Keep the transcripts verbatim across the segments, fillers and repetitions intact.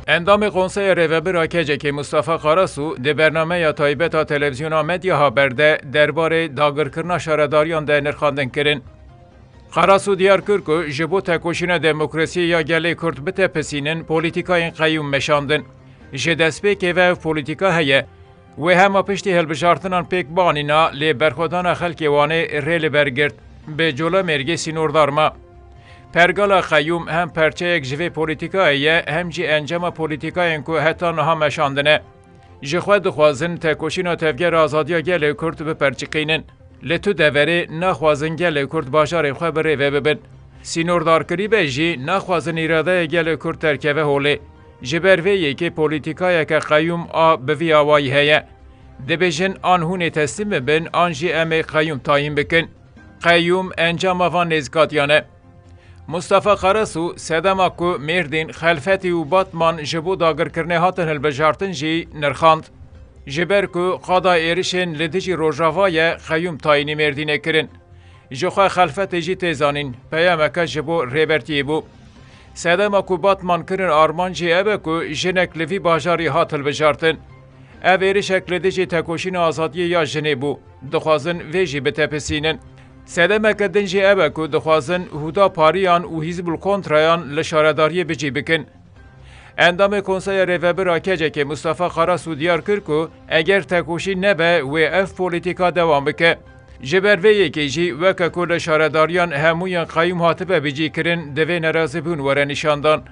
Endamê Konseya Rêvebir a KCKê Mustafa Karasu di bernameya taybet a Televîzyona Medya Haber de derbarê dagirkirina şaredariyan de nirxandin kirin. Karasu diyar kir ku ji bo tekoşîna demokrasiyê ya gelê Kurd bitepisînin, polîtikayên qeyûm meşandin. Ji destpêkê ve ev polîtika heye. Wê hema piştî hilbijartinan pêk bianîna, lê berxwedana xelkê Wanê rê li ber girt. Bi Colemêrgê sînordar ma. Pergala qeyûm hem perçeyek ji vê polîtikayê ye, hem jî encama polîtikayên ku heta niha meşandine. Ji xwe dixwazin tekoşîna Tevgera Azadiya Gelê Kurd biperçiqînin. Li tu deverê naxwazin gelê Kurd bajarên xwe bi rê ve bibin. Sînordarkirî be jî naxwazin îradeya gelê Kurd derkeve holê. Ji ber vê yekê polîtikayeke qeyûm a bi vî awayî heye. Dibêjin an hûn ê teslîm bibin an jî em ê qeyûm tayîn bikin. Qeyûm encama van nêzikatiyan e. Mustafa Karasu sedema ku Mêrdîn, Xelfetî û Batman ji bo dagirkirinê hatin hilbijartin jî nirxand. Ji ber ku qada êrişên li dijî Rojava ye, qeyûm tayînî Mêrdînê kirin. Ji xwe Xelfetê jî tê zanîn, peyameke ji bo Rêbertiyê bû. Sedema ku Batman kirin armanc jî ev e ku jinek li vî bajarî hat hilbijartin. Ev êrişek li dijî tekoşîna azadiyê ya jinê bû. Dixwazin vê jî bitepisînin. Sedemeke din jî ev e ku dixwazin Huda Pariyan û Hîzbul Kontrayan li şaredariyê bi cî bikin. Endamê Konseya Rêvebir a KCKê Mustafa Karasu diyar kir ku eger tekoşîn nebe, wê ev polîtîka dewam bike. Ji ber vê yekê jî weke ku li şaredariyan hemûyan qeyûm hatibe bicîkirin, divê nerazîbûn were nîşandan.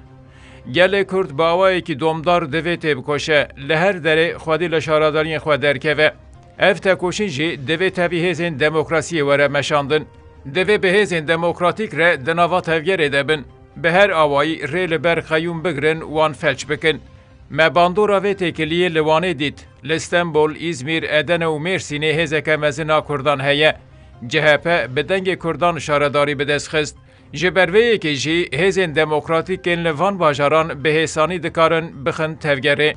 Gelê Kurd bi awayekî domdar divê têbikoşe, li her derê xwedî li şaredariyên xwe derkeve. Ev tekoşîn jî divê tevî hêzên demokrasiyê were meşandin. Divê bi hêzên demokratîk re di nava tevgerê de bin. Bi her awayî rê li ber qeyûm bigirin, wan felç bikin. Me bandora vê têkiliyê li Wanê dît. Li Stenbol, Îzmîr, Edene û Mêrsînê hêzeke mezin a Kurdan heye. CHP bi dengê Kurdan şaredarî bi dest xist. Ji ber vê yekê jî hêzên demokratîk ên li van bajaran bi hêsanî dikarin bixin tevgerê.